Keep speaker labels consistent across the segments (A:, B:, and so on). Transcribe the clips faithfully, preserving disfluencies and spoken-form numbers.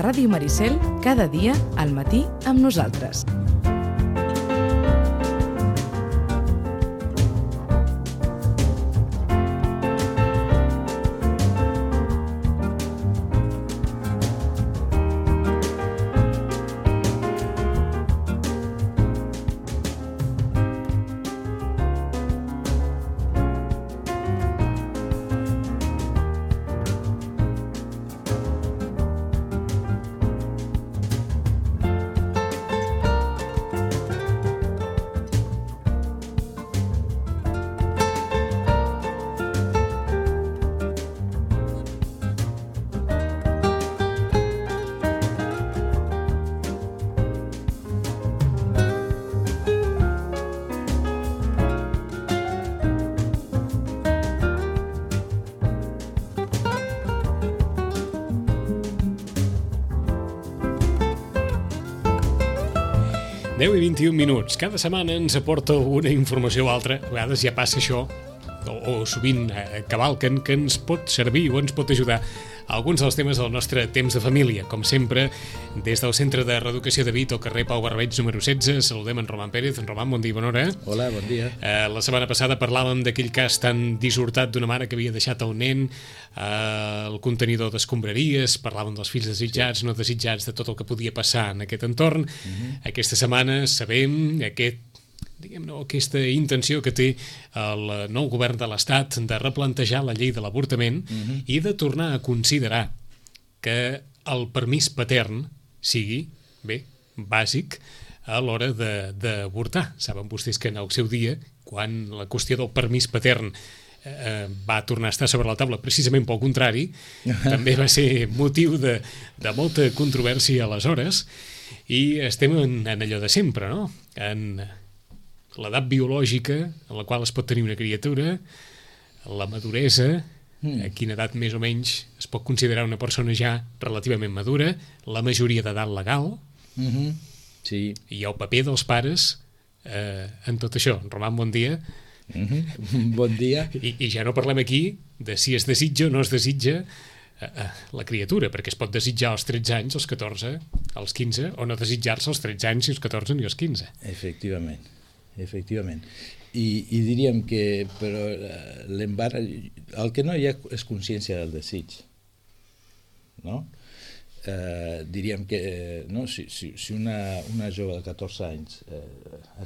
A: Ràdio Maricel, cada dia al matí amb nosaltres.
B: deu i vint-i-un minuts. Cada setmana ens aporta una informació o altra. A vegades ja passa això, o, o sovint eh, cavalquen, que ens pot servir o ens pot ajudar a alguns dels temes del nostre temps de família. Com sempre, des del Centre de Reeducació de Vic, al carrer Pau Barbeig, número setze, saludem en Roman Pérez. En Roman, bon dia i bona hora.
C: Hola, bon dia.
B: Eh, la setmana passada parlàvem d'aquell cas tan dissortat d'una mare que havia deixat el nen eh, el contenidor d'escombraries, parlàvem dels fills desitjats, sí. no desitjats, de tot el que podia passar en aquest entorn. Uh-huh. Aquesta setmana sabem aquest diguem-ne, aquesta intenció que té el nou govern de l'Estat de replantejar la llei de l'avortament uh-huh. i de tornar a considerar que el permís patern sigui, bé, bàsic a l'hora d'avortar. Saben vostès que en el seu dia, quan la qüestió del permís patern eh, va tornar a estar sobre la taula precisament pel contrari, també va ser motiu de, de molta controvèrsia aleshores, i estem en, en allò de sempre, no? En l'edat biològica en la qual es pot tenir una criatura, la maduresa, mm. a quina edat més o menys es pot considerar una persona ja relativament madura, la majoria d'edat legal,
C: mm-hmm. sí.
B: i el paper dels pares eh, en tot això. Roman, bon dia.
C: Mm-hmm. Bon dia.
B: I, I ja no parlem aquí de si es desitja o no es desitja eh, la criatura, perquè es pot desitjar als tretze anys, als catorze, als quinze, o no desitjar-se als tretze anys, ni als catorze ni als quinze.
C: Efectivament. Efectivament. I, i diríem que però l'embarg, el que no hi ha és consciència del desig, no? Eh, diríem que no? si, si, si una, una jove de catorze anys eh,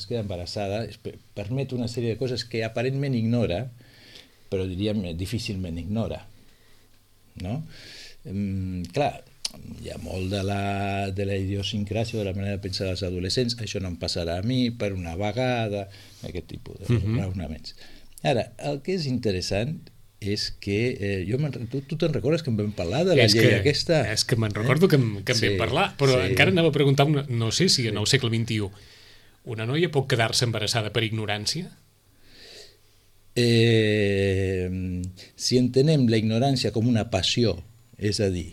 C: es queda embarassada, es permet una sèrie de coses que aparentment ignora, però diríem difícilment ignora, no? Eh, clar, hi ha molt de la, de la idiosincràsia, de la manera de pensar dels adolescents, això no em passarà a mi per una vegada, aquest tipus de uh-huh. raonaments. Ara, el que és interessant és que eh, jo tu, tu te'n recordes que em vam parlar de la
B: és
C: llei
B: que,
C: aquesta?
B: És que me'n recordo eh? que em, que em sí, vam parlar, però sí. encara anava a preguntar, una, no sé si sí. en el segle vint-i-u una noia pot quedar-se embarassada per ignorància?
C: Eh, si entenem la ignorància com una passió, és a dir,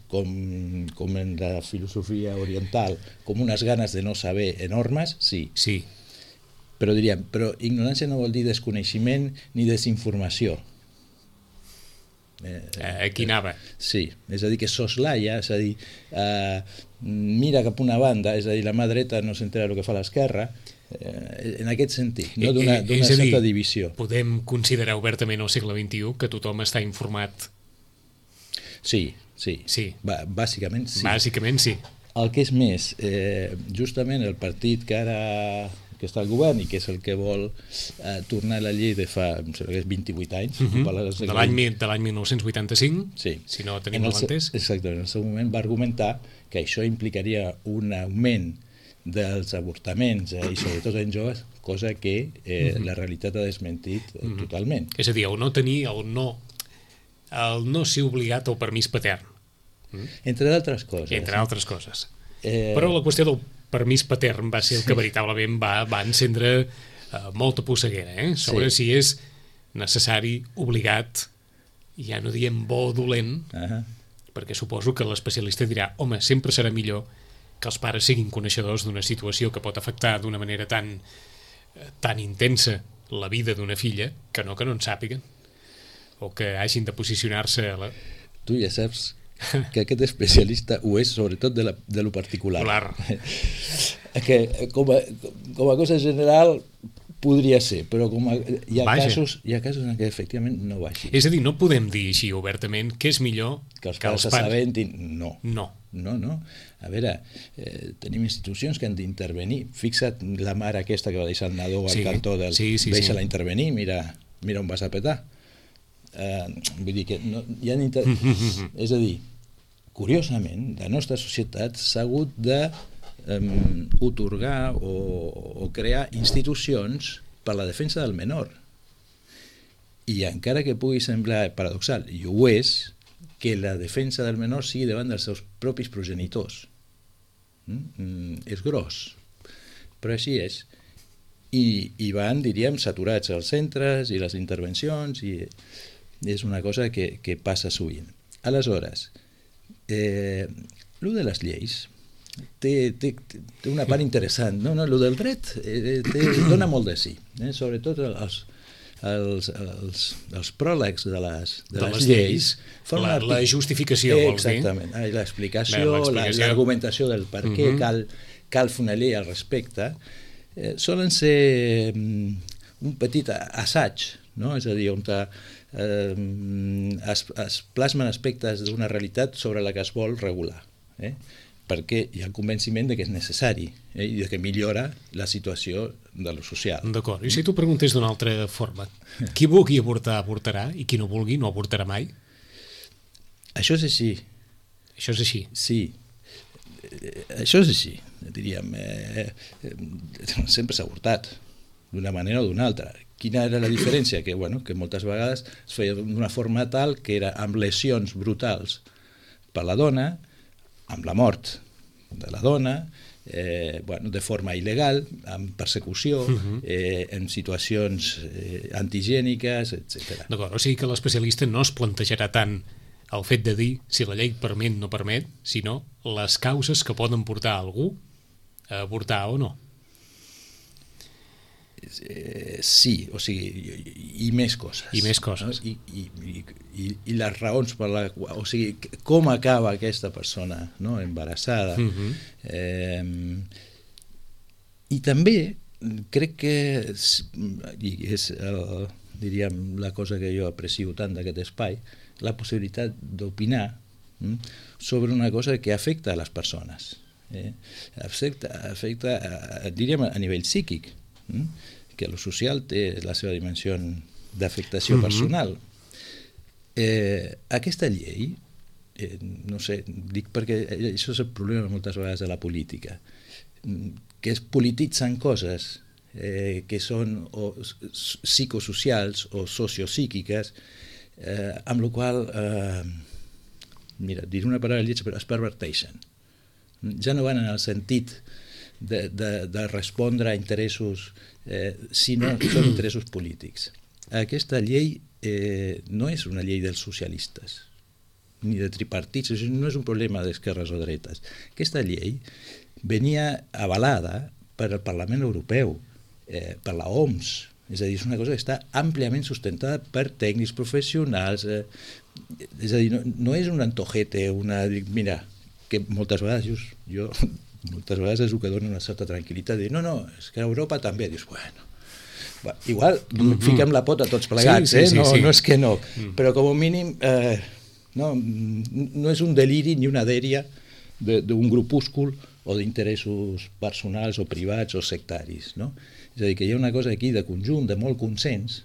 C: Com, com en la filosofia oriental, com unes ganes de no saber enormes, sí.
B: Sí.
C: Però diríem, però ignorància no vol dir desconeixement ni desinformació.
B: Eh, Aquí anava.
C: Sí, és a dir, que soslaia, és a dir, eh, mira cap una banda, és a dir, la mà dreta no s'entera del que fa l'esquerra, eh, en aquest sentit, no d'una certa divisió.
B: Podem considerar obertament al segle vint-i-u que tothom està informat?
C: Sí, sí,
B: sí.
C: B- bàsicament sí.
B: Bàsicament sí.
C: El que és més, eh, justament el partit que ara que està al govern i que és el que vol eh, tornar a la llei de fa, em sembla que és vint-i-vuit anys,
B: uh-huh. de l'any dinou vuitanta-cinc,
C: sí.
B: si no tenim mal entès.
C: Exactament, en el seu moment va argumentar que això implicaria un augment dels avortaments eh, i sobretot en joves, cosa que eh, uh-huh. la realitat ha desmentit eh, uh-huh. totalment.
B: És a dir, el no tenir, el no el no ser obligat al permís patern.
C: Mm? Entre d'altres coses.
B: Entre altres coses.
C: Eh...
B: Però la qüestió del permís patern va ser el que veritablement va, va encendre eh, molta posseguera, eh? sobre sí. si és necessari, obligat, ja no diem bo o dolent, uh-huh. perquè suposo que l'especialista dirà, home, sempre serà millor que els pares siguin coneixedors d'una situació que pot afectar d'una manera tan, tan intensa la vida d'una filla, que no que no en sàpiguen, o que hagin de posicionar-se a la...
C: Tu ja saps que aquest especialista ho és sobretot de, la, de lo particular. Que com a, com a cosa general podria ser, però com a, hi, ha casos, hi ha casos en què efectivament no va així.
B: És a dir, no podem dir així obertament que és millor
C: que els pares s'assabentin. No.
B: No.
C: No, no. A veure, eh, tenim institucions que han d'intervenir. Fixa't la mare aquesta que va deixar el nadó al
B: sí,
C: cantó del...
B: Sí, sí,
C: deixa-la
B: sí.
C: intervenir, mira, mira on vas a petar. Eh, vull dir que no, hi ha inter... És a dir, curiosament, la nostra societat s'ha hagut de um, otorgar o, o crear institucions per la defensa del menor. I encara que pugui semblar paradoxal, i ho és, que la defensa del menor sigui davant dels seus propis progenitors. Mm? És gros, però així és. I, i van, diríem, saturats els centres i les intervencions, i és una cosa que, que passa sovint. Aleshores, eh, el de les lleis té, té, té una part interessant. No, no, el del dret eh, té, dona molt de sí, eh? Sobretot els Els, els, els pròlegs de les, de
B: de
C: les,
B: les
C: lleis,
B: lleis la, la justificació,
C: eh,
B: vols dir?
C: Exactament, ah, l'explicació, l'argumentació del per què uh -huh. cal, cal fer una llei al respecte, eh, solen ser um, un petit assaig, no? És a dir, on te, eh, es, es plasmen aspectes d'una realitat sobre la que es vol regular, eh? Perquè hi ha el convenciment de que és necessari, eh? I de que millora la situació de lo social.
B: D'acord. I si tu preguntés d'una altra forma, qui vulgui avortar, avortarà, i qui no vulgui, no avortarà mai?
C: Això és així.
B: Això és així?
C: Sí. Això és així, diríem. Eh, eh, sempre s'ha avortat, d'una manera o d'una altra. Quina era la diferència? Que, bueno, que moltes vegades es feia d'una forma tal que era amb lesions brutals per la dona, amb la mort de la dona, eh, bueno, de forma il·legal, amb persecució, uh-huh. eh, en situacions eh, antigèniques, etcètera.
B: D'acord, o sigui que l'especialista no es plantejarà tant el fet de dir si la llei permet o no permet, sinó les causes que poden portar algú a avortar o no.
C: Eh, sí, o sigui, i, i més coses.
B: I més coses.
C: No? I, i, i, I les raons per la qual... O sigui, com acaba aquesta persona, no? Embarassada. Uh-huh. eh, I també crec que i és el, diríem, la cosa que jo aprecio tant d'aquest espai, la possibilitat d'opinar hm, sobre una cosa que afecta a les persones. Eh? Afecta, afecta a, diríem, a nivell psíquic, hm? Que lo social té la seva dimensió d'afectació uh-huh. personal. Eh, aquesta llei, eh, no sé, dic perquè això és el problema moltes vegades de la política, que es polititzen coses eh, que són o psicosocials o sociopsíquiques, eh, amb la qual, eh, mira, diré una paraula lletja, però es perverteixen. Ja no van en el sentit de, de, de respondre a interessos, eh, sinó són interessos polítics. Aquesta llei eh, no és una llei dels socialistes, ni de tripartits, no és un problema d'esquerres o dretes. Aquesta llei venia avalada per al Parlament Europeu, eh, per la O M S, és a dir, és una cosa que està àmpliament sustentada per tècnics professionals, eh, és a dir, no, no és un antojete, una... Mira, que moltes vegades jo, jo moltes vegades és el que dona una certa tranquil·litat, dir, no, no, és que a Europa també, dius, bueno, va, igual mm-hmm. fiquem la pota tots plegats, sí, sí, eh? no, sí, sí. no és que no, mm. però com a mínim eh, no, no és un deliri ni una dèria d'un grupúscul o d'interessos personals o privats o sectaris, no? És a dir, que hi ha una cosa aquí de conjunt, de molt consens,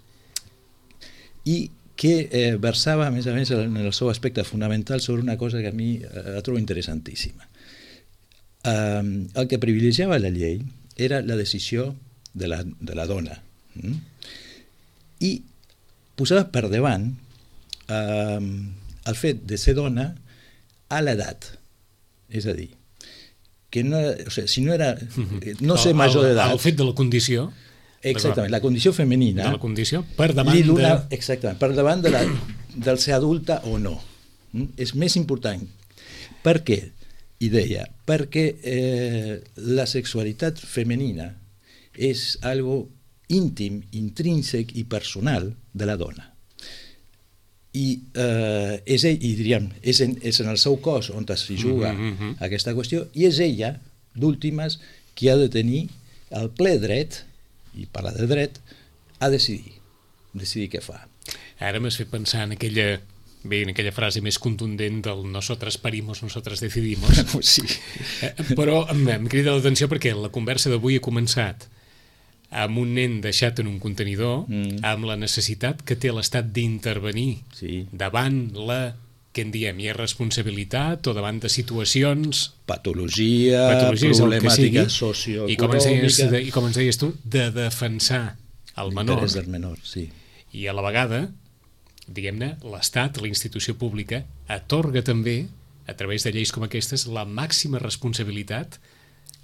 C: i que eh, versava, a més a més, en el seu aspecte fonamental sobre una cosa que a mi eh, la trobo interessantíssima. Eh, el que privilegiava la llei era la decisió de la, de la dona, mm? I posava per davant eh, el fet de ser dona a l'edat, és a dir, que no, o sigui, si no era no ser major d'edat,
B: el fet de la condició,
C: exactament, la condició femenina,
B: de la condició per davant de...
C: exactament, per davant de la, del ser adulta o no, mm? És més important. Per què? I deia, perquè eh, la sexualitat femenina és algo íntim, intrínsec i personal de la dona. i eh, és ell, i diríem, és en, és en el seu cos on s'hi juga
B: Mm-hmm.
C: aquesta qüestió, i és ella, d'últimes, qui ha de tenir el ple dret, i parla de dret, a decidir, decidir què fa.
B: Ara m'has fet pensar en aquella, bé, en aquella frase més contundent del nosotras parimos, nosotras decidimos.
C: Sí.
B: Eh, Però em, em crida l'atenció perquè la conversa d'avui ha començat amb un nen deixat en un contenidor,
C: Mm.
B: amb la necessitat que té l'Estat d'intervenir
C: Sí.
B: davant la, què en diem, irresponsabilitat o davant de situacions,
C: Patologia,
B: patologies, el que
C: problemàtica
B: sigui, i com, ens deies,
C: socioeconòmica,
B: de, i com ens deies tu, de defensar el menor,
C: l'interès del menor, sí.
B: i a la vegada, diguem-ne, l'Estat, la institució pública, atorga també, a través de lleis com aquestes, la màxima responsabilitat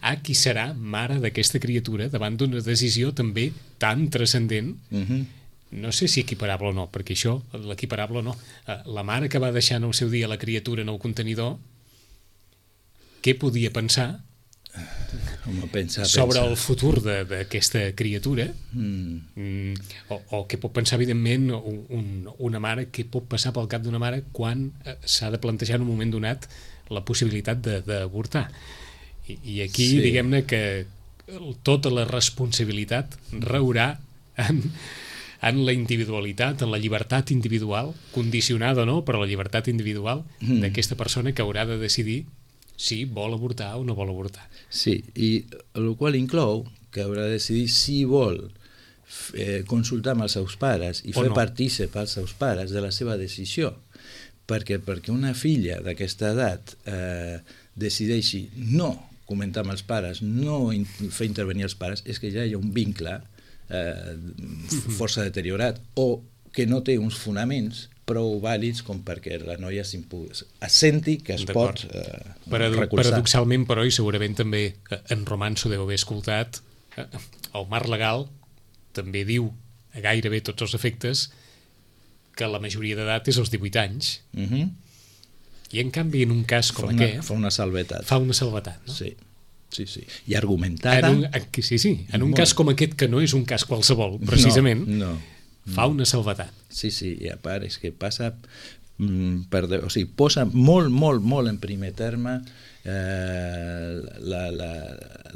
B: a qui serà mare d'aquesta criatura davant d'una decisió també tan transcendent,
C: Uh-huh.
B: no sé si equiparable o no, perquè això, l'equiparable o no, eh, la mare que va deixar en el seu dia la criatura en el contenidor, què podia pensar
C: Home, pensa,
B: sobre
C: pensa.
B: el futur de- d'aquesta criatura?
C: Mm.
B: Mm, o, o què pot pensar, evidentment, un, un, una mare, què pot passar pel cap d'una mare quan eh, s'ha de plantejar en un moment donat la possibilitat de- d'avortar. I, I aquí,
C: Sí.
B: diguem-ne que tota la responsabilitat raurà en, en la individualitat, en la llibertat individual, condicionada o no, però la llibertat individual
C: Mm.
B: d'aquesta persona que haurà de decidir si vol avortar o no vol avortar.
C: Sí, i el qual inclou que haurà de decidir si vol eh, consultar amb els seus pares i
B: O
C: fer
B: no.
C: partícip als seus pares de la seva decisió. Perquè perquè una filla d'aquesta edat eh, decideixi no comentar amb els pares, no in fer intervenir els pares, és que ja hi ha un vincle eh, força deteriorat o que no té uns fonaments prou vàlids com perquè la noia senti que es pot eh,
B: Parado
C: recolzar.
B: Paradoxalment, però, i segurament també eh, en Romanço deu haver escoltat, eh, el marc legal també diu a gairebé tots els efectes que la majoria d'edat és als divuit anys,
C: Uh-huh.
B: i en canvi en un cas com
C: fa una,
B: aquest
C: fa una salvetat.
B: fa una salvetat, no?
C: Sí, sí, sí. I argumentada...
B: En un, en, sí, sí, en un
C: Molt.
B: cas com aquest, que no és un cas qualsevol, precisament,
C: No, no.
B: fa una salvetat.
C: Sí, sí, i a part és que passa... Mm, per, de- o sigui, posa molt, molt, molt en primer terme eh, la, la,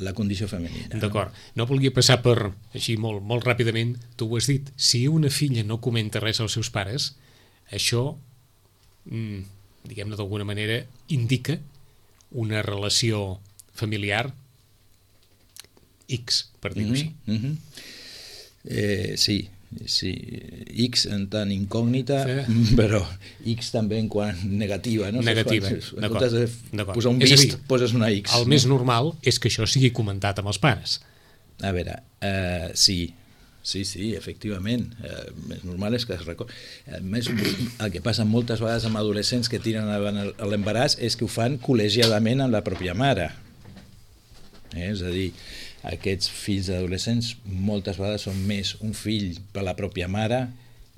C: la condició femenina.
B: D'acord. No volia passar per, així molt, molt ràpidament, tu ho has dit, si una filla no comenta res als seus pares, això, mm, diguem-ne d'alguna manera, indica una relació familiar X, per dir-ho així.
C: Mm -hmm. eh, sí, sí, X en tant incògnita,
B: Sí.
C: però X també en quant negativa, no?
B: Negativa,
C: En
B: d'acord,
C: comptes de
B: d'acord.
C: posar un
B: És a
C: vist,
B: dir,
C: poses una X.
B: El més normal és que això sigui comentat amb els pares.
C: A veure, eh, sí, sí, sí, efectivament. Eh, més normal és que es recordi. A més, el que passa moltes vegades amb adolescents que tiren avant el- l'embaràs és que ho fan col·legiadament amb la pròpia mare. Eh? És a dir, aquests fills d'adolescents moltes vegades són més un fill per la pròpia mare,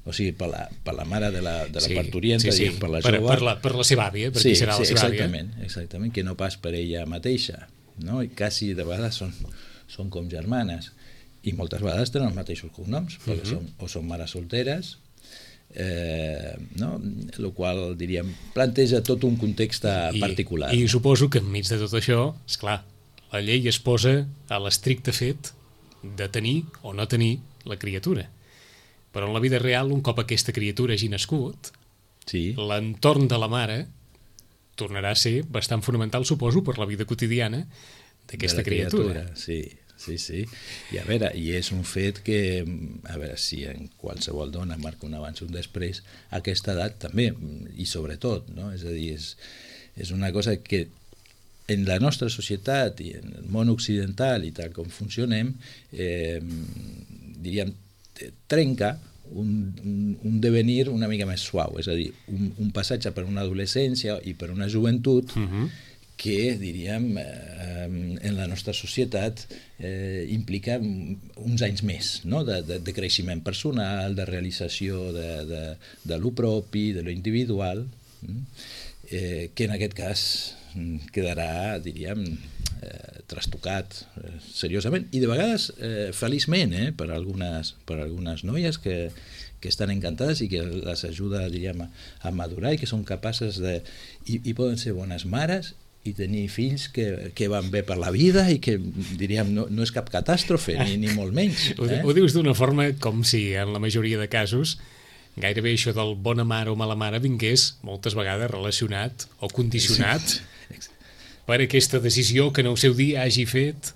C: o sigui, per la, per la mare de la, de la
B: Sí,
C: parturienta,
B: sí, sí.
C: per la
B: per,
C: jove.
B: per, la, per la seva àvia, per
C: Sí,
B: qui serà
C: sí,
B: la seva àvia.
C: exactament, exactament, que no pas per ella mateixa, no? I quasi de vegades són, són com germanes, i moltes vegades tenen els mateixos cognoms, perquè
B: Mhm.
C: són, o són mares solteres, eh, no? El qual, diríem, planteja tot un context
B: I,
C: particular.
B: I suposo que enmig de tot això, és clar, la llei es posa a l'estricte fet de tenir o no tenir la criatura. Però en la vida real, un cop aquesta criatura hagi nascut,
C: Sí.
B: l'entorn de la mare tornarà a ser bastant fonamental, suposo, per la vida quotidiana d'aquesta
C: de la
B: criatura.
C: Sí, sí, sí. I a veure, i és un fet que, a veure, si en qualsevol dona marca un abans i un després, a aquesta edat també, i sobretot, no? És a dir, és, és una cosa que en la nostra societat i en el món occidental i tal com funcionem, eh, diríem, trenca un, un, un devenir una mica més suau, és a dir, un, un passatge per una adolescència i per una joventut
B: Uh -huh.
C: que, diríem, eh, en la nostra societat eh, implica uns anys més, no? de, de, de creixement personal, de realització de, de, de lo propi, de lo individual, eh, que en aquest cas quedarà, diríem, eh, trastocat eh, seriosament, i de vegades eh, feliçment, eh, per, algunes, per algunes noies que, que estan encantades i que les ajuda, diríem, a, a madurar i que són capaces de... I, i poden ser bones mares i tenir fills que, que van bé per la vida i que, diríem, no, no és cap catàstrofe, ni, ni molt menys.
B: Eh? Ho, ho dius d'una forma com si, en la majoria de casos, gairebé això del bona mare o mala mare vingués moltes vegades relacionat o condicionat sí. per aquesta decisió que en el seu dia hagi fet.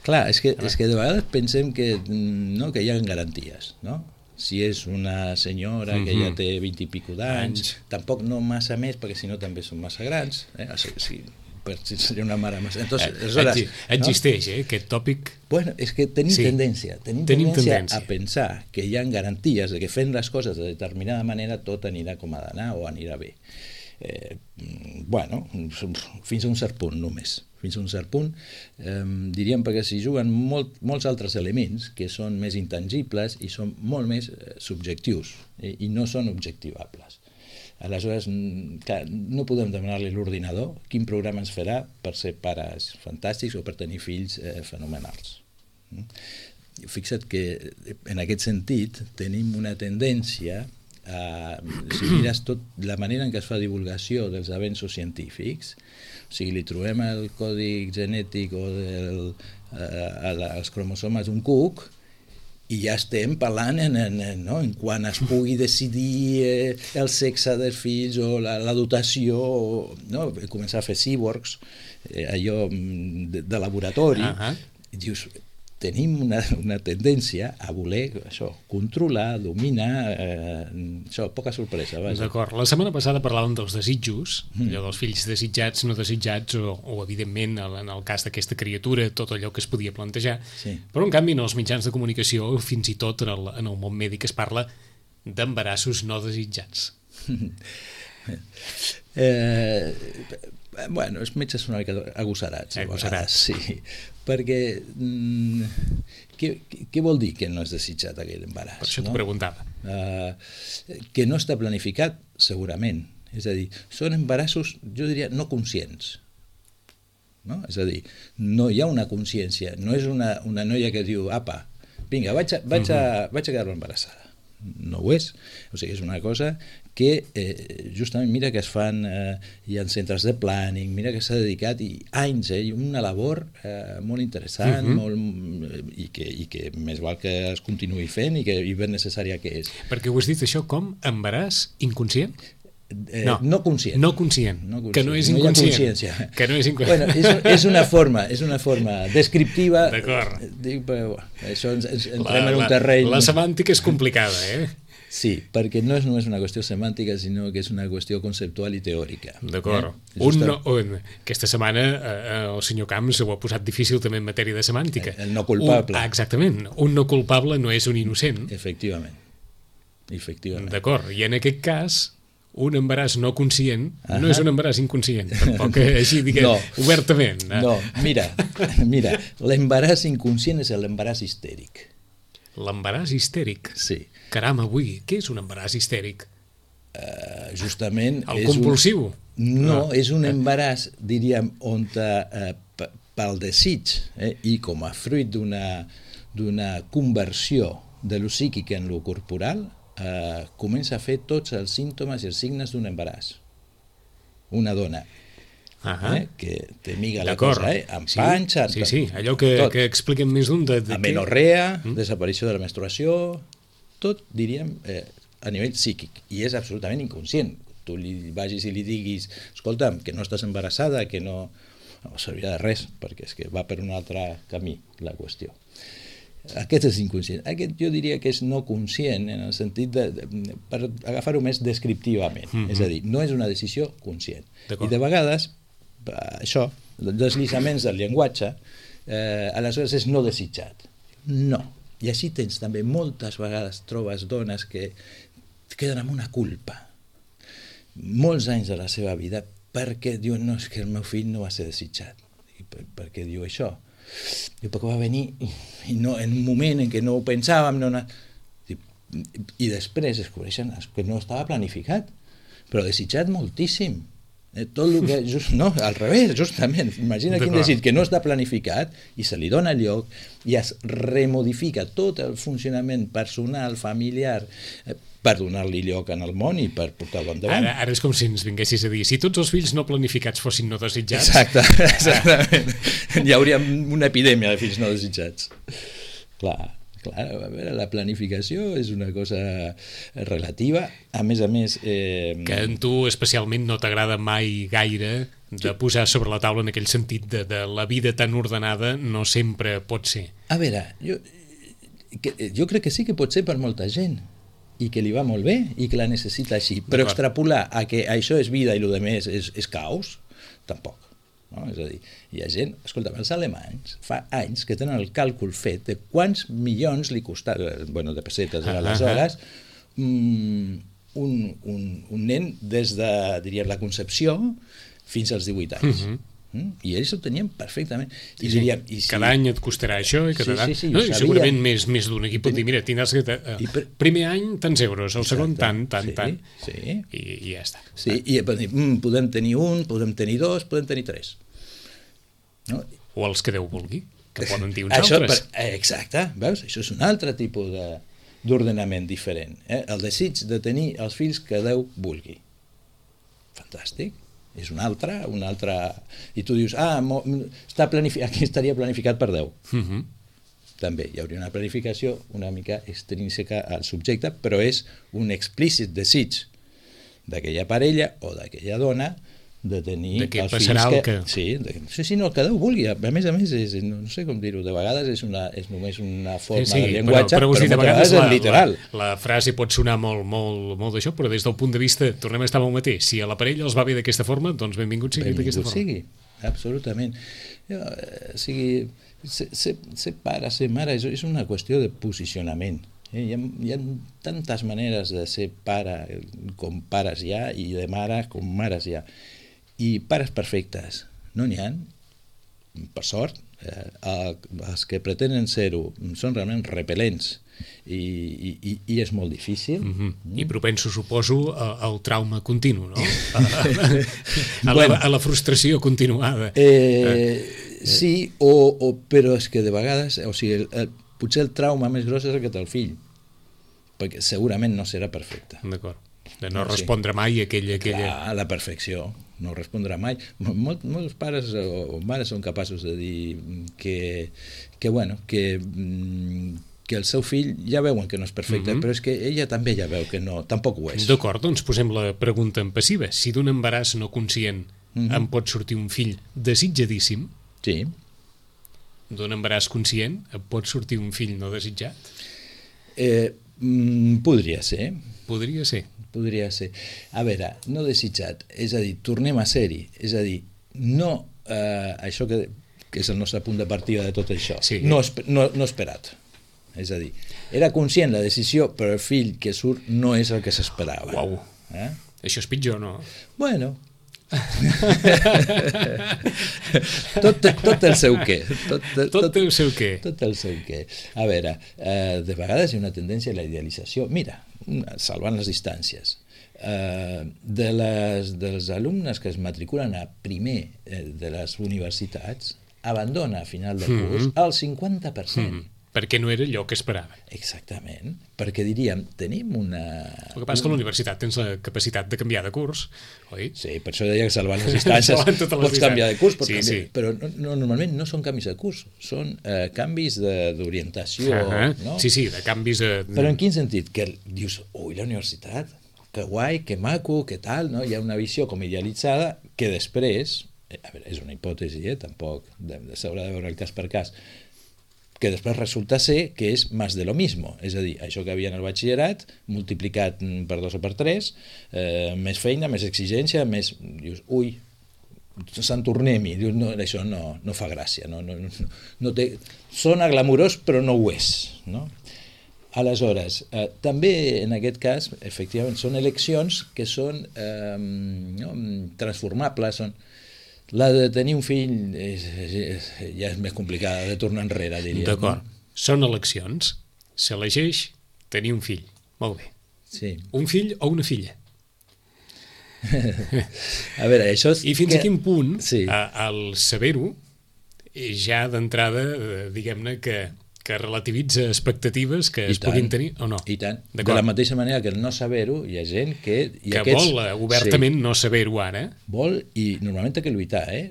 C: Clar, és que, és que de vegades pensem que, no, que hi ha garanties, no? Si és una senyora que ja té vint i pico d'anys, tampoc no massa més, perquè si no també són massa grans, eh? O sigui, si, per, si seria una mare massa... Entonces,
B: eh,
C: aleshores,
B: existeix, no? eh, aquest tòpic...
C: Bueno, és que tenim sí. tendència, tenim, tenim tendència, tendència a pensar que hi ha garanties de que fent les coses de determinada manera tot anirà com ha d'anar o anirà bé. Eh, bueno, fins a un cert punt només. Fins a un cert punt, eh, diríem, perquè s'hi juguen molt, molts altres elements que són més intangibles i són molt més eh, subjectius eh, i no són objectivables. Aleshores, clar, no podem demanar-li a l'ordinador quin programa ens farà per ser pares fantàstics o per tenir fills eh, fenomenals. Mm? Fixa't que en aquest sentit tenim una tendència a, si mires tot la manera en què es fa divulgació dels avenços científics, o sigui, li trobem el codi genètic o del, eh, els cromosomes d'un cuc i ja estem parlant en, en, no? en quan es pugui decidir eh, el sexe dels fills o la, la dotació, no? Començar a fer cyborgs, eh, allò de, de laboratori, uh-huh. I dius, tenim una, una tendència a voler això, controlar, dominar, eh, això, poca sorpresa. Vaja.
B: D'acord. La setmana passada parlàvem dels desitjos, mm. allò dels fills desitjats, no desitjats, o, o evidentment, en el cas d'aquesta criatura, tot allò que es podia plantejar. Sí. Però, en canvi, en els mitjans de comunicació, fins i tot en el, en el món mèdic, es parla d'embarassos no desitjats.
C: eh, bueno, els metges són una mica agosarats.
B: Agosarats.
C: Sí, perquè mm, què, què vol dir que no és desitjat aquell embaràs?
B: Per això
C: no?
B: t'ho preguntava.
C: Uh, que no està planificat, segurament. És a dir, són embarassos, jo diria, no conscients. No? És a dir, no hi ha una consciència, no és una, una noia que diu, apa, vinga, vaig a, vaig a, vaig a quedar-me embarassada. No ho és. O sigui, és una cosa que eh, justament mira que es fan, eh, hi ha centres de planning, mira que s'ha dedicat i anys, eh, una labor eh, molt interessant, uh-huh. molt, i, que, i que més val que es continuï fent i que i ben necessària que és.
B: Perquè ho has dit això com embaràs inconscient?
C: Eh, no, no conscient.
B: No conscient, no conscient, que no és
C: inconscient.
B: No que no és inconscient.
C: Bueno, és, és una forma, és una forma descriptiva.
B: D'acord.
C: Dic, però, això ens, ens entrem la, en un terreny...
B: La, la semàntica és complicada, eh?
C: Sí, perquè no és només una qüestió semàntica, sinó que és una qüestió conceptual i teòrica.
B: D'acord. Eh? Un no, un, aquesta setmana eh, el senyor Camps ho ha posat difícil també en matèria de semàntica.
C: El, el no culpable.
B: Un, exactament. Un no culpable no és un innocent.
C: Efectivament. Efectivament.
B: D'acord. I en aquest cas... un embaràs no conscient uh-huh. no és un embaràs inconscient, tampoc així diguem no. obertament. Eh?
C: No, mira, mira, l'embaràs inconscient és l'embaràs histèric.
B: L'embaràs histèric?
C: Sí.
B: Caram, avui, què és un embaràs histèric?
C: Uh, justament...
B: El és compulsiu?
C: Un... No, no, és un embaràs, diríem, on uh, p- pel desig eh, i com a fruit d'una, d'una conversió de lo psíquic en lo corporal, Uh, comença a fer tots els símptomes i els signes d'un embaràs. Una dona uh-huh. eh, que té miga la cosa, eh, amb
B: sí,
C: panxa...
B: Sí, sí, allò que, que expliquen més d'un... De, de
C: amenorrea, que... mm? desaparició de la menstruació, tot, diríem, eh, a nivell psíquic. I és absolutament inconscient. Tu li vagis i li diguis, escolta'm, que no estàs embarassada, que no... No servirà de res, perquè és que va per un altre camí la qüestió. Aquest és inconscient. Aquest jo diria que és no conscient en el sentit de, de per agafar-ho més descriptivament. Mm-hmm. És a dir, no és una decisió conscient.
B: D'acord.
C: I de vegades, això, deslizaments del llenguatge, eh, aleshores és no desitjat. No. I així tens també moltes vegades trobes dones que queden amb una culpa. Molts anys de la seva vida perquè diuen, no, és que el meu fill no va ser desitjat. I per, per què diu això? Diu, perquè va venir i no, en un moment en què no ho pensàvem no, no, i, i després descobreixen que no estava planificat, però desitjat moltíssim, Eh, tot el que, just, no, al revés, justament. Imagina quin desig que no està planificat i se li dona lloc i es remodifica tot el funcionament personal, familiar, eh, per donar-li lloc en el món i per portar-lo endavant.
B: Ara, ara és com si ens vinguessis a dir, si tots els fills no planificats fossin no desitjats...
C: Exacte, exactament. Hi hauria una epidèmia de fills no desitjats. Clar. Clar, a veure, la planificació és una cosa relativa, a més a més... Eh...
B: Que a tu especialment no t'agrada mai gaire de posar sobre la taula en aquell sentit de, de la vida tan ordenada no sempre pot ser.
C: A veure, jo, que, jo crec que sí que pot ser per molta gent i que li va molt bé i que la necessita així, però extrapolar a que això és vida i el que més és, és caos, tampoc. No? És a dir, hi ha gent, escolta, els alemanys fa anys que tenen el càlcul fet de quants milions li costava, bueno, de pessetes
B: ah,
C: aleshores, ah, un, un, un nen des de, diríem, la concepció fins als divuit anys. Uh -huh. Mm? I ells ho tenien perfectament. I
B: sí,
C: diríem, i si...
B: Cada any et costarà això i cada
C: sí, sí, sí,
B: no, i segurament més, més d'un equip pot dir, mira, tindràs que... Uh, per... primer any tants euros, el segon tant, tant,
C: sí,
B: tant,
C: sí.
B: I, i ja està.
C: Sí, i mm, podem tenir un, podem tenir dos, podem tenir tres. No?
B: O els que Déu vulgui, que poden dir uns
C: això,
B: altres.
C: Per, exacte, veus? Això és un altre tipus de, d'ordenament diferent. Eh? El desig de tenir els fills que Déu vulgui. Fantàstic. És un altre, un altre... I tu dius, ah, mo, està planificat, aquí estaria planificat per Déu. Uh -huh. També hi hauria una planificació una mica extrínseca al subjecte, però és un explícit desig d'aquella parella o d'aquella dona de tenir
B: de
C: els fills
B: que...
C: que... Sí, de... sí, sí, no, que Déu vulgui. A més a més, és, no sé com dir-ho, de vegades és, una, és només una forma sí, sí, de llenguatge,
B: però, però,
C: però
B: dir, de
C: moltes
B: vegades
C: vegades
B: la,
C: és literal.
B: La, la frase pot sonar molt, molt, molt d'això, però des del punt de vista, tornem a estar amb el mateix. Si a la parella els va bé d'aquesta forma, doncs benvingut sigui d'aquesta forma.
C: Benvingut sigui, absolutament. Jo, eh, sigui, ser, ser, ser pare, ser mare, és, és una qüestió de posicionament. Eh? Hi, ha, hi ha tantes maneres de ser pare com pares hi ha i de mare com mares hi ha. I pares perfectes no n'hi ha, per sort. Eh, els que pretenen ser-ho són realment repel·lents i, i, i és molt difícil.
B: Mm-hmm. Mm. I propenso, suposo, al trauma continu, no? A, a, a, bueno, la, a la frustració continuada.
C: Eh, eh, sí, o, o, però és que de vegades, o sigui, el, el, potser el trauma més gros és el que té el fill, perquè segurament no serà perfecte.
B: D'acord. De no respondre mai a aquella... aquella...
C: Clar, a la perfecció, no respondrà mai. Mol, molts pares o, o mares són capaços de dir que, que, bueno, que, que el seu fill ja veuen que no és perfecte, mm-hmm. però és que ella també ja veu que no, tampoc ho és.
B: D'acord, doncs posem la pregunta en passiva. Si d'un embaràs no conscient mm-hmm. em pot sortir un fill desitjadíssim,
C: sí.
B: d'un embaràs conscient em pot sortir un fill no desitjat?
C: Eh, mm, podria ser.
B: Podria ser.
C: Podria ser. A veure, no desitjat, és a dir, tornem a ser-hi, és a dir, no eh, això que, que és el nostre punt de partida de tot això, sí. no, no, no esperat. És a dir, era conscient la decisió, però el fill que surt no és el que s'esperava.
B: Uau, eh? Això és pitjor, no?
C: Bueno... tot, tot el seu què.
B: Tot, tot, tot el seu què.
C: Tot el seu què. A veure, eh, de vegades hi ha una tendència a la idealització. Mira, salvant les distàncies, eh, de les, dels alumnes que es matriculen a primer eh, de les universitats, abandona a final de curs mm-hmm. el cinquanta per cent. Mm-hmm.
B: Perquè no era allò que esperava.
C: Exactament, perquè diríem, tenim una...
B: El que passa és que a la universitat tens la capacitat de canviar de curs, oi?
C: Sí, per això deia que salvant les distàncies les pots distàncies. canviar de curs, pots sí, canviar, sí. però no, no, normalment no són canvis de curs, són eh, canvis d'orientació.
B: Uh-huh.
C: No?
B: Sí, sí, de canvis... De...
C: Però en quin sentit? Que dius, ui, la universitat, que guai, que maco, que tal, no? Hi ha una visió com idealitzada que després, a veure, és una hipòtesi, eh? Tampoc s'haurà de veure el cas per cas, que després resulta ser que és més de lo mismo, és a dir, això que havia en el batxillerat multiplicat per dos o per tres, eh, més feina, més exigència, més... Dius, ui, Sant Tornem-hi, dius, no, això no, no fa gràcia, no, no, no, no té... Sona glamurós però no ho és, no? Aleshores, eh, també en aquest cas, efectivament, són eleccions que són eh, no, transformables, són... La de tenir un fill és, és, és, ja és més complicada de tornar enrere, diríem.
B: D'acord.
C: No?
B: Són eleccions. S'elegeix tenir un fill. Molt bé.
C: Sí.
B: Un fill o una filla?
C: A veure, això és...
B: I fins
C: que...
B: a quin punt
C: sí.
B: el saber-ho ja d'entrada, diguem-ne, que, que relativitza expectatives que
C: I
B: es
C: tant,
B: puguin tenir o no.
C: I tant. De la mateixa manera que el no saber-ho, hi ha gent que... I
B: que
C: aquests,
B: vol obertament
C: sí,
B: no saber-ho ara.
C: Vol, i normalment té que lluitar, eh?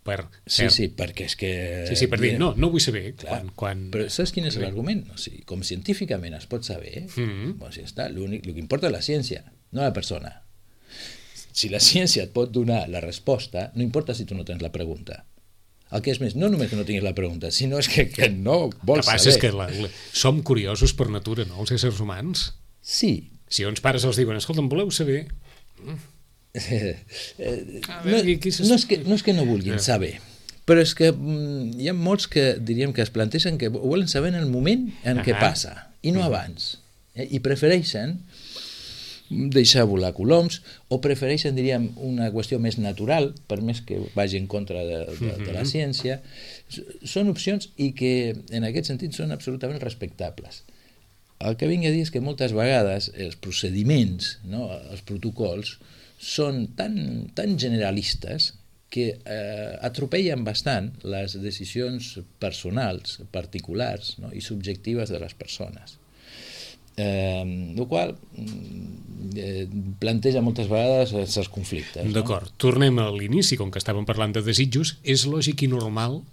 B: Per,
C: sí, sí, perquè és que...
B: Sí, sí, per dir, no, no vull saber.
C: Clar,
B: quan, quan...
C: Però saps quin és l'argument? O sigui, com científicament es pot saber, mm-hmm. doncs ja està, l'únic, el que importa és la ciència, no la persona. Si la ciència et pot donar la resposta, no importa si tu no tens la pregunta. El que és més, no només que no tinguis la pregunta, sinó és que, que no vols saber. El que passa
B: és que la, la, som curiosos per natura, no, els éssers humans?
C: Sí.
B: Si uns pares els diuen, escolta'm, voleu saber... Mm.
C: Eh, eh, no, no, és que, no és que no vulguin saber, però és que mm, hi ha molts que diríem que es plantegen que volen saber en el moment en què passa i no abans, eh? I prefereixen deixar volar coloms o prefereixen, diríem, una qüestió més natural, per més que vagi en contra de, de, de la ciència. Són opcions i que en aquest sentit són absolutament respectables. El que vinc a dir és que moltes vegades els procediments, no, els protocols, són tan, tan generalistes que eh, atropellen bastant les decisions personals, particulars, no, i subjectives de les persones. Eh, el qual eh, planteja moltes vegades els conflictes. No?
B: D'acord, tornem a l'inici, com que estàvem parlant de desitjos. És lògic i normal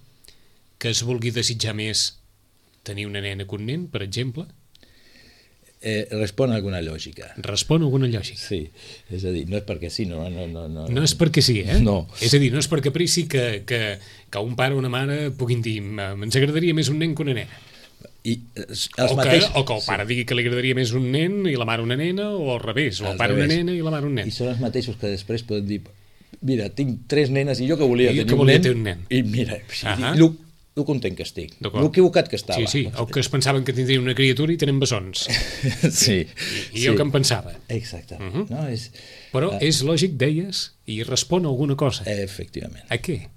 B: que es vulgui desitjar més tenir una nena que un nen, per exemple?
C: Eh, respon a alguna lògica.
B: Respon a alguna lògica.
C: Sí, és a dir, no és perquè sí, no, no, no, no.
B: No és perquè sí, eh?
C: No.
B: És a dir, no és per caprici que, que, que un pare o una mare puguin dir ens agradaria més un nen que una nena.
C: I els
B: o,
C: mateix...
B: que, o que el pare sí. digui que li agradaria més un nen i la mare una nena, o al revés, o el pare revés. Una nena i la mare un nen.
C: I són els mateixos que després poden dir mira, tinc tres nenes i jo que volia, tenir,
B: que
C: un
B: volia
C: nen,
B: tenir un nen.
C: I mira, uh -huh. lo, lo content que estic, lo equivocat que estava.
B: Sí, sí, o que es pensaven que tindrien una criatura i tenen bessons.
C: Sí.
B: I, i jo
C: sí.
B: que em pensava.
C: Exactament.
B: Uh -huh.
C: No? És,
B: Però
C: uh,
B: és lògic, deies, i respon a alguna cosa.
C: Efectivament.
B: A què?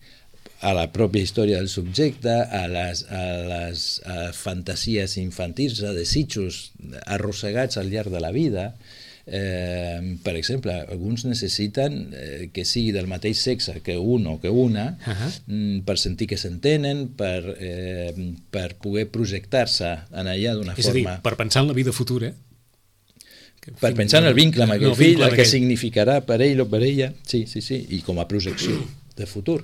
C: A la pròpia història del subjecte, a les, a les a fantasies infantils, a desitjos arrossegats al llarg de la vida. Eh, per exemple, alguns necessiten eh, que sigui del mateix sexe que un o que una, uh -huh. mm, per sentir que s'entenen, per, eh, per poder projectar-se en allà d'una forma...
B: És a dir, per pensar en la vida futura.
C: Per pensar en el vincle amb aquell
B: no,
C: fill, el que
B: aquell...
C: significarà per ell o per ella, sí, sí, sí, i com a projecció de futur.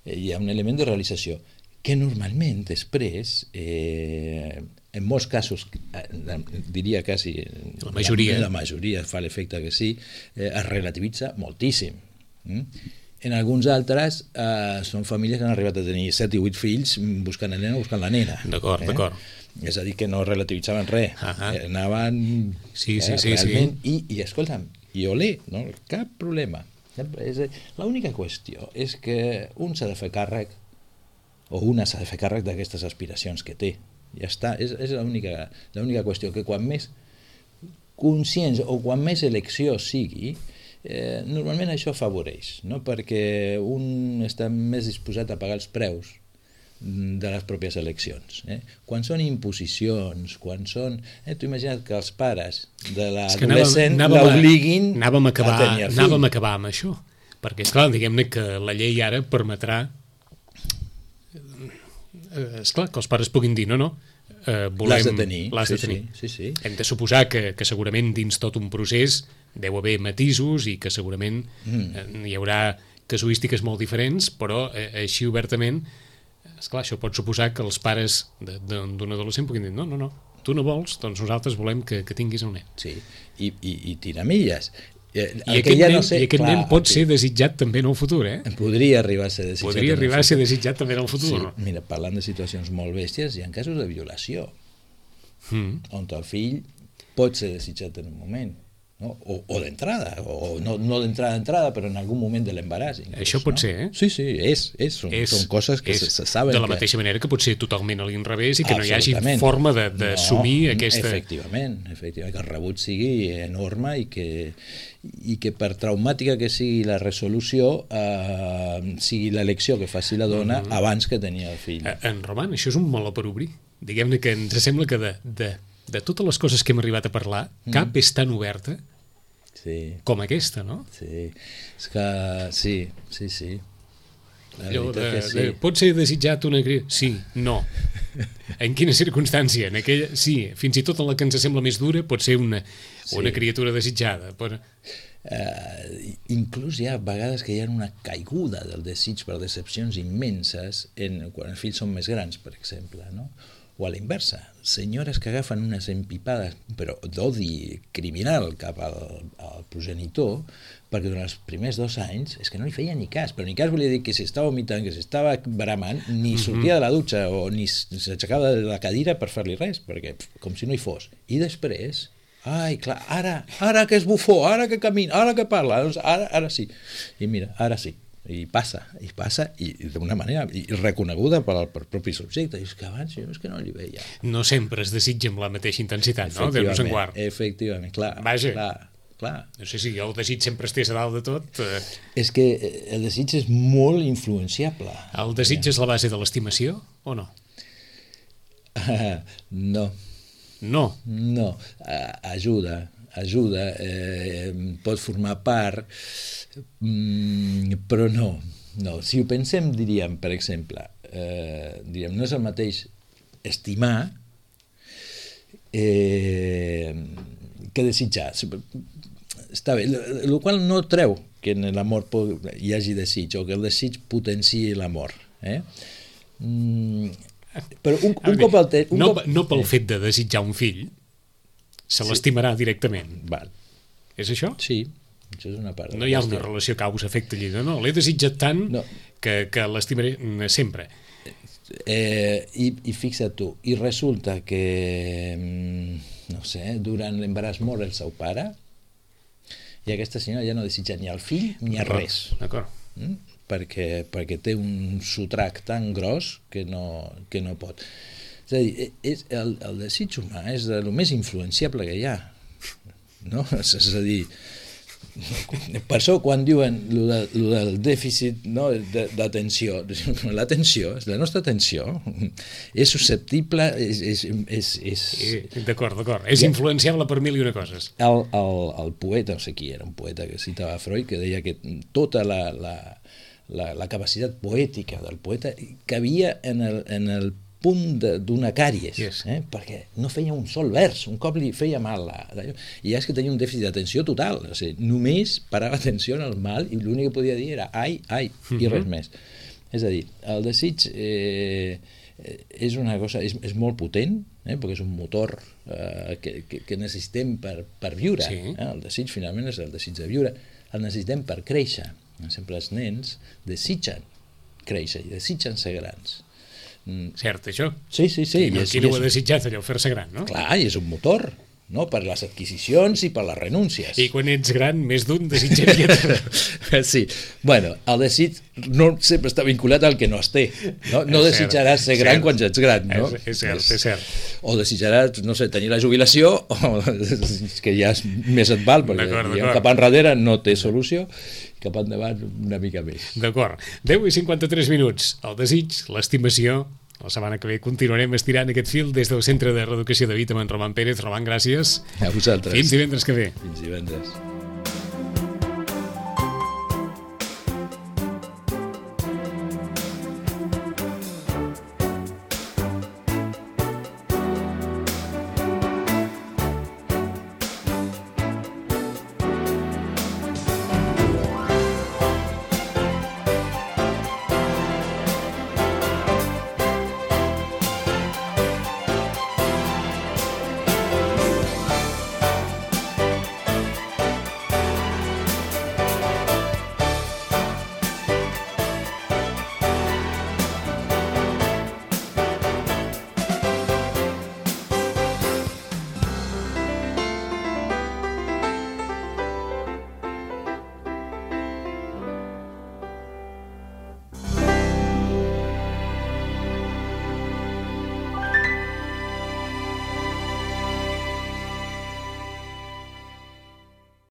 C: Hi ha un element de realització que normalment després, eh, en molts casos, eh, diria quasi
B: la majoria,
C: la, la majoria fa l'efecte que sí, eh, es relativitza moltíssim. Mm? En alguns altres eh, són famílies que han arribat a tenir set i vuit fills buscant el nen o buscant la nena.
B: D'acord, eh? d'acord.
C: És a dir, que no relativitzaven res, uh -huh. eh, anaven
B: sí, sí,
C: eh,
B: sí,
C: realment,
B: sí.
C: i, i escolta'm, i olé, no? Cap problema. L'única qüestió és que un s'ha de fer càrrec, o una s'ha de fer càrrec d'aquestes aspiracions que té. Ja està, és, és l'única l'única qüestió, que quan més conscients o quan més elecció sigui, eh, normalment això afavoreix, no? Perquè un està més disposat a pagar els preus de les pròpies eleccions. Eh? Quan són imposicions, quan són... Eh, tu imagina't que els pares de l'adolescent l'obliguin a tenir el fill.
B: Anàvem a acabar amb això, perquè, esclar, diguem-ne que la llei ara permetrà esclar, que els pares puguin dir no, no, eh, volem...
C: L'has de tenir.
B: L'has
C: sí,
B: de tenir.
C: Sí, sí, sí.
B: Hem de suposar que, que segurament dins tot un procés deu haver matisos i que segurament mm. eh, hi haurà casuístiques molt diferents, però eh, així obertament, esclar, això pot suposar que els pares d'un adolescent puguin dir no, no, no, tu no vols, doncs nosaltres volem que, que tinguis un nen.
C: Sí, i, i, i tiramilles.
B: I aquest, ja nen, no sé, i aquest clar, nen pot aquí, ser desitjat també en el futur, eh?
C: Podria arribar a ser desitjat.
B: Podria arribar a ser desitjat també en el futur.
C: Sí, mira, parlant de situacions molt bèsties, hi ha casos de violació, mm. on el fill pot ser desitjat en un moment, no? o, o d'entrada, o no, no d'entrada d'entrada, però en algun moment de l'embaràs.
B: Això pot
C: no?
B: ser, eh?
C: Sí, sí, és, és, són, és, són coses que
B: és,
C: se, se saben.
B: De la
C: que...
B: mateixa manera que pot ser totalment a l'inrevés i que no hi hagi forma d'assumir no, aquesta...
C: Efectivament, efectivament, que el rebut sigui enorme i que, i que per traumàtica que sigui la resolució, eh, sigui l'elecció que faci la dona mm-hmm. abans que tenia el fill.
B: En Roman, això és un meló per obrir. Diguem-ne que ens sembla que de... de de totes les coses que hem arribat a parlar, mm. cap és tan oberta
C: Sí.
B: Com aquesta, no?
C: Sí, és que sí, sí, sí. La
B: Allò
C: veritat
B: de,
C: que sí.
B: de, pot ser desitjat una criatura? Sí, no. En quina circumstància? En aquella, sí, fins i tot en la que ens sembla més dura pot ser una,
C: Sí.
B: una criatura desitjada. Però...
C: Uh, inclús hi ha vegades que hi ha una caiguda del desig per decepcions immenses en, quan els fills són més grans, per exemple, no? O a la inversa, senyores que agafen unes empipades, però d'odi criminal cap al, al progenitor, perquè durant els primers dos anys és que no li feia ni cas, però ni cas volia dir que s'estava vomitant, que s'estava bramant, ni sortia de la dutxa o ni s'aixecava de la cadira per fer-li res, perquè pff, com si no hi fos. I després, ai, clar, ara, ara que és bufó, ara que camina, ara que parla, ara, ara sí. I mira, ara sí. I passa, i passa, i d'una manera i reconeguda pel, pel propi subjecte. I és que abans jo és que no li veia.
B: No sempre es desitja amb la mateixa intensitat, no? Déu-nos en guard.
C: Efectivament, clar.
B: Vaja.
C: Clar, clar.
B: No sé si el desig sempre estés a dalt de tot. Eh...
C: És que el desig és molt influenciable.
B: El desig és la base de l'estimació o no?
C: Uh, no.
B: No.
C: No. Uh, ajuda, ajuda. Eh, pot formar part, mm, però no. No. Si ho pensem, diríem, per exemple, eh, diríem, no és el mateix estimar eh, que desitjar. Està bé, el qual no treu que en l'amor hi hagi desig o que el desig potenciï l'amor. Eh? Mm, però un, un
B: veure,
C: cop el té...
B: No,
C: cop...
B: no pel fet de desitjar un fill, se
C: Sí.
B: l'estimarà directament.
C: Val.
B: És això?
C: Sí, això és una part.
B: No hi ha una relació causa-efecte allí. No, no, l'he desitjat tant
C: No.
B: que, que l'estimaré sempre.
C: Eh, i, I fixa't tu, i resulta que, mm, no sé, durant l'embaràs mor el seu pare i aquesta senyora ja no desitja ni el fill ni a res.
B: D'acord.
C: Mm? Perquè, perquè té un sotrac tan gros que no, que no pot. És a dir, és, el, el desig humà és el més influenciable que hi ha. No? És, és a dir, per això quan diuen lo, de, lo del dèficit, no, d'atenció, l'atenció, la nostra atenció és susceptible, és... és, és, és...
B: D'acord, d'acord. És influenciable per mil i una coses.
C: El, el, el poeta, no sé qui era, un poeta que citava Freud, que deia que tota la, la, la, la capacitat poètica del poeta cabia en el, en el punt d'una càries,
B: yes.
C: eh? Perquè no feia un sol vers, un cop li feia mal la, la, i ja és que tenia un dèficit d'atenció total, o sigui, només parava atenció en el mal i l'únic que podia dir era ai, ai, i res
B: Mhm.
C: més. És a dir, el desig eh, és una cosa, és, és molt potent, eh? Perquè és un motor eh, que, que, que necessitem per, per viure.
B: Sí.
C: Eh? El desig finalment és el desig de viure, el necessitem per créixer. Per exemple, els nens desitgen créixer i desitgen ser grans.
B: Cert, això?
C: Sí, sí, sí.
B: Qui no, qui no ho ha desitjat, allò, fer-se gran, no?
C: Clar, i és un motor, no? Per les adquisicions i per les renúncies.
B: I quan ets gran, més d'un desitjaria...
C: Sí, bueno, el desig no sempre està vinculat al que no es té. No, no
B: És
C: desitjaràs
B: cert,
C: ser gran
B: cert.
C: quan ja ets gran, no?
B: És, és cert, és cert.
C: O desitjaràs, no sé, tenir la jubilació, o que ja és, més et val, perquè
B: D'acord,
C: diguem,
B: d'acord.
C: cap enrere no té solució, cap endavant una mica més.
B: D'acord. deu i cinquanta-tres minuts. El desig, l'estimació. La setmana que ve continuarem estirant aquest fil des del Centre de Reeducació de Vida amb en Roman Pérez. Roman, gràcies.
C: A vosaltres.
B: Fins divendres que ve.
C: Fins divendres.